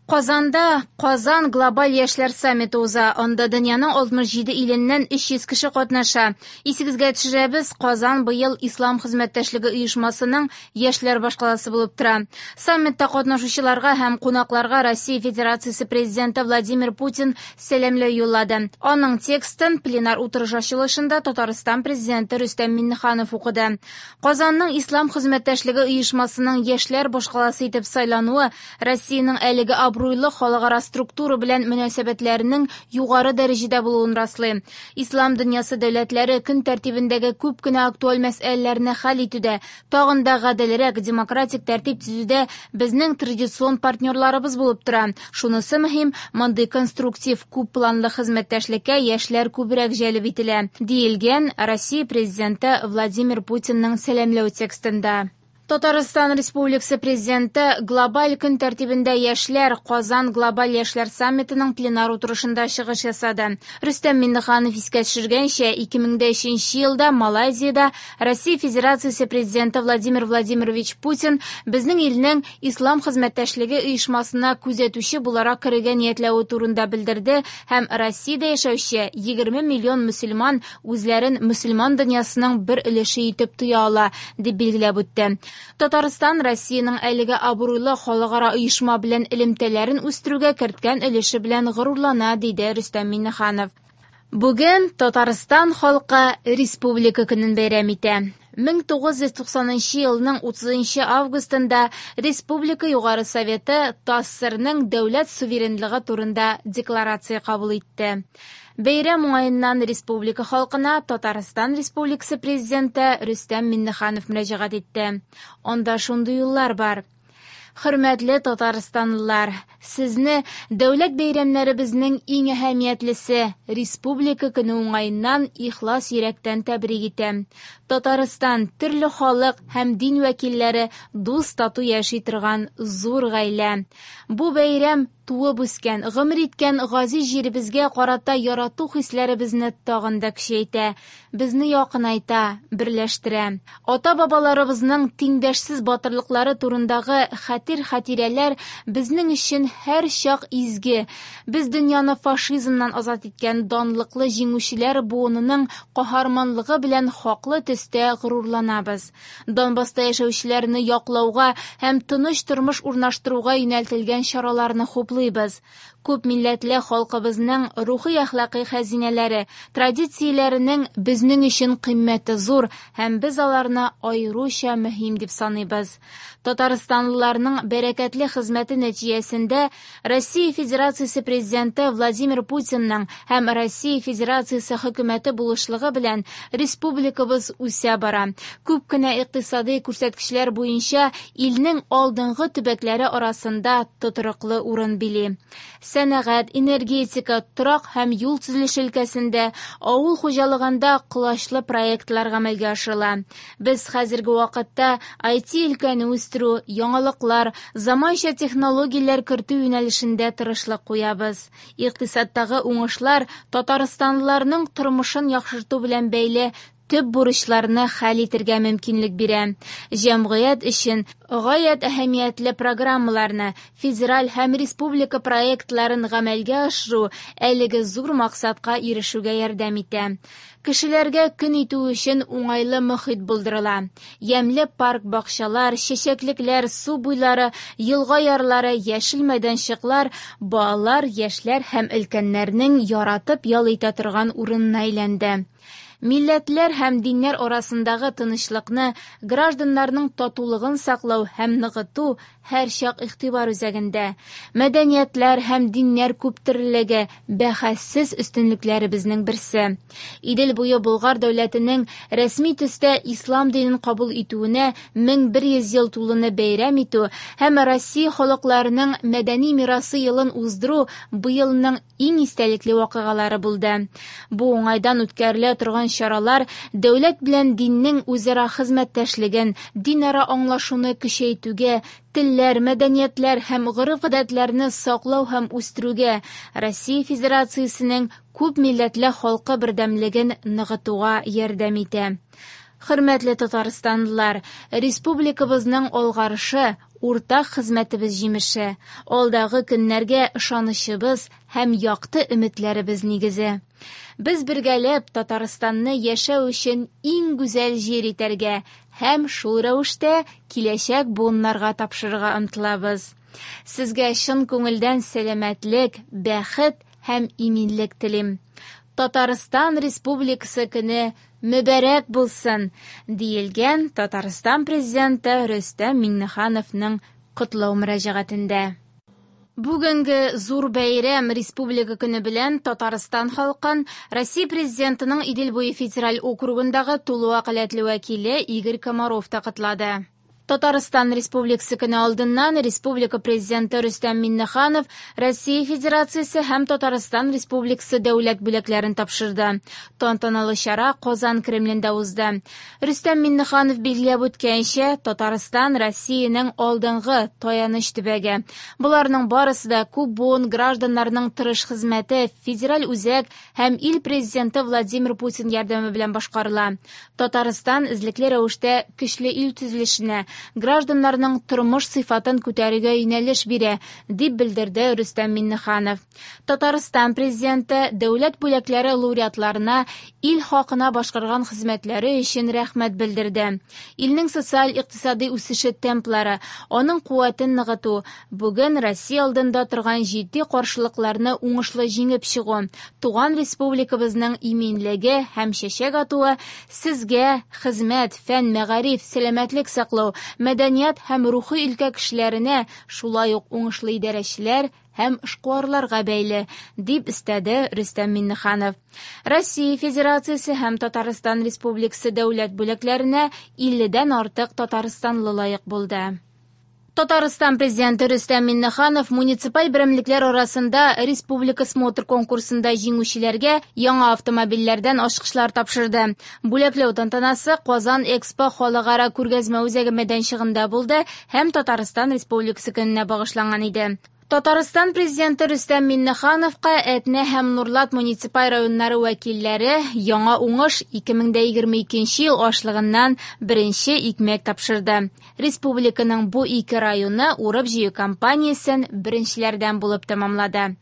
Казанда Казан глобаль яшьләр саммиты уза. Анда дөньяның 67 иленнән 300 кеше катнаша. Исегезгә төшерәбез, Казан быел Ислам хезмәттәшлеге оешмасының яшьләр башкаласы булып тора. Саммитта катнашучыларга һәм кунакларга Россия Федерациясе Президенты Владимир Путин сәламләү юллады. Аның текстын пленар утырыш ачылышында Татарстан Президенты Рөстәм Миңнеханов укыды. Казанның Ислам хезмәттәшлеге оешмасының яшьләр башкаласы итеп сайлануы Россиянең әлеге абруйлы халыкара структура белән мөнәсәбәтләренең югары дәрәҗәдә булуын раслый. Ислам дөньясы дәүләтләре көн тәртибендәге күп кенә актуаль мәсьәләләрне хәл итүдә, тагын да гаделрәк демократик тәртип төзүдә безнең традицион партнерларыбыз булып тора. Шунысы мөһим, мондый конструктив, күп планлы хезмәттәшлеккә яшьләр күбрәк җәлеп ителә, диелгән Россия Президенты Владимир Путинның сәламләү текстында. Татарстан Республикасы Президенты глобаль көн тәртибендә яшьләр Казан глобаль яшьләр саммитының пленар утырышында чыгыш ясады. Рөстәм Миңнеханов искә төшергәнчә, 2003 елда Малайзиядә Россия Федерациясе Президенты Владимир Владимирович Путин безнең илнең Ислам хезмәттәшлеге оешмасына күзәтүче буларак керергә ниятләве турында белдерде һәм Россиядә яшәүче 20 миллион мөселман үзләрен мөселман дөньясының бер өлеше итеп тоя ала, дип билгеләп үтте. Татарстан Россиянең әлеге абруйлы халыкара оешма белән элемтәләрен үстерүгә керткән өлеше белән горурлана, диде Рөстәм Миңнеханов. Бүген Татарстан халкы Республика көнен бәйрәм итә. 1990 елның 30 августында Республика Югары Советы ТАССРның дәүләт суверенлыгы турында декларация кабул итте. Бәйрәм уңаеннан республика халкына Татарстан Республикасы Президенты Рөстәм Миңнеханов мөрәҗәгать итте. Анда шундый юллар бар. Хөрмәтле татарстанлылар, сезне дәүләт бәйрәмнәребезнең иң әһәмиятлесе Республика көне уңаеннан ихлас йөрәктән тәбрик итәм. Татарстан төрле халык һәм дин вәкилләре дус-тату яши торган зур гаилә. Бу бәйрәм туып үскән, гомер иткән газиз җиребезгә карата ярату хисләребезне тагын да көчәйтә, безне якынайта, берләштерә. Ата-бабаларыбызның тиңдәшсез батырлыклары турындагы хәтер-хатирәләр безнең өчен һәрчак изге. Без дөньяны фашизмнан азат иткән данлыклы җиңүчеләр буынының каһарманлыгы белән хаклы төстә горурланабыз. Донбасста яшәүчеләрне яклауга һәм тыныч тормыш урнаштыруга юнәлтелгән чараларны хуплыйбыз. Күп милләтле халкыбызның рухи-әхлакый хәзинәләре, традицияләренең безнең өчен кыйммәте зур һәм без аларны аеруча мөһим дип саныйбыз. Татарстанлыларның бәрәкәтле хезмәте нәтиҗәсендә Россия Федерациясе Президенты Владимир Путинның һәм Россия Федерациясе Хөкүмәте булышлыгы белән республикабыз үсә бара. Күп кенә икътисадый күрсәткечләр буенча илнең алдынгы төбәкләре арасында тотрыклы урын били. Сәнәгать, энергетика, торак һәм юл төзелеше өлкәсендә, авыл хуҗалыгында колачлы проектлар гамәлгә ашырыла. Без хәзерге вакытта IT-өлкәне үстерү, яңалыклар, заманча технологияләр кертү юнәлешендә тырышлык куябыз. Икътисадтагы уңышлар татарстанлыларның тормышын яхшырту белән бәйле төп бурычларны хәл итергә мөмкинлек бирә. Җәмгыять өчен гаять әһәмиятле программаларны, федераль һәм республика проектларын гамәлгә ашыру әлеге зур максатка ирешүгә ярдәм итә. Кешеләргә көн итү өчен уңайлы мохит булдырыла. Ямьле парк-бакчалар, чәчәклекләр, су буйлары, елга ярлары, яшел мәйданчыклар балалар, яшьләр һәм өлкәннәрнең яратып ял итә торган урынына әйләнде. Милләтләр һәм диннәр арасындагы тынычлыкны, гражданнарның татулыгын саклау һәм ныгыту һәрчак игътибар үзәгендә. Мәдәниятләр һәм диннәр күптөрлелеге бәхәссез өстенлекләребезнең берсе. Идел буе Болгар дәүләтенең рәсми төстә ислам динен кабул итүенә 1100 ел тулуны бәйрәм итү һәм Россия халыкларының мәдәни мирасы елын уздыру быелның иң истәлекле вакыйгалары булды. Бу уңайдан үткәрелә торган чаралар дәүләт белән диннең үзара хезмәттәшлеген, динара аңлашуны көчәйтүгә, телләр, мәдәниятләр һәм гореф-гадәтләрне саклау һәм үстерүгә, Россия Федерациясенең күп милләтле халкы бердәмлеген ныгытуга ярдәм итә. Хөрмәтле татарстанлылар, республикабызның алгарышы, уртак хезмәтебез җимеше, алдагы көннәргә ышанычыбыз һәм якты өметләребез нигезе. Без бергәләп Татарстанны яшәү өчен иң гүзәл җир итәргә һәм шул рәвештә киләчәк буыннарга тапшырырга омтылабыз. Сезгә чын күңелдән сәламәтлек, бәхет һәм иминлек телим. Татарстан Республикасы көне мөбарәк булсын, диелгән Татарстан Президенты Рөстәм Миңнехановның котлау мөрәҗәгатендә. Бүгенге зур бәйрәм Республика көне белән Татарстан халкын Россия Президентының Идел буе федераль округындагы тулы вәкаләтле вәкиле Игорь Комаров та котлады. Татарстан Республикасы көне алдыннан Республика Президенты Рөстәм Миңнеханов Россия Федерациясе һәм Татарстан Республикасы дәүләт бүләкләрен тапшырды. Тантаналы чара Казан Кремлендә узды. Рөстәм Миңнеханов билгеләп үткәнчә, Татарстан Россиянең алдынгы таяныч төбәге. Боларның барысы да күп буын гражданнарның тырыш хезмәте, федераль үзәк һәм ил Президенты Владимир Путин ярдәме белән башкарыла. Татарстан эзлекле рәвештә көчле ил төзелешенә, гражданнарның тормыш сыйфатын күтәрүгә юнәлеш бирә, дип белдерде Рөстәм Миңнеханов. Татарстан Президенты дәүләт бүләкләре лауреатларына ил хакына башкарган хезмәтләре өчен рәхмәт белдерде. Илнең социаль-икътисади үсеше темплары, аның куәтен ныгыту, бүген Россия алдында торган җитди каршылыкларны уңышлы җиңеп чыгу, туган республикабызның иминлеге һәм чәчәк атуы сезгә хезмәт, фән, мәгариф, сәламәтлек саклау, мәдәният һәм рухи өлкә кешеләренә, шулай ук уңышлы идарәчеләр һәм эшкуарларга бәйле, дип өстәде Рөстәм Миңнеханов. Россия Федерациясе һәм Татарстан Республикасы дәүләт бүләкләренә 50дән артык татарстанлы лаек булды. Татарстан Президенты Рөстәм Миңнеханов муниципаль берәмлекләр арасында республика смотр конкурсында җиңүчеләргә яңа автомобильләрдән ачкычлар тапшырды. Бүләкләү тантанасы Казан Экспо халыкара күргәзмә үзәге мәйданчыгында булды һәм Татарстан Республикасы көненә багышланган иде. Татарстан Президенты Рөстәм Миңнехановка Әтнә һәм Нурлат муниципаль районнары вәкилләре яңа уңыш 2022 ел ашлыгыннан беренче икмәк тапшырды. Республиканың бу ике районы урып-җыю кампаниясен беренчеләрдән булып тәмамлады.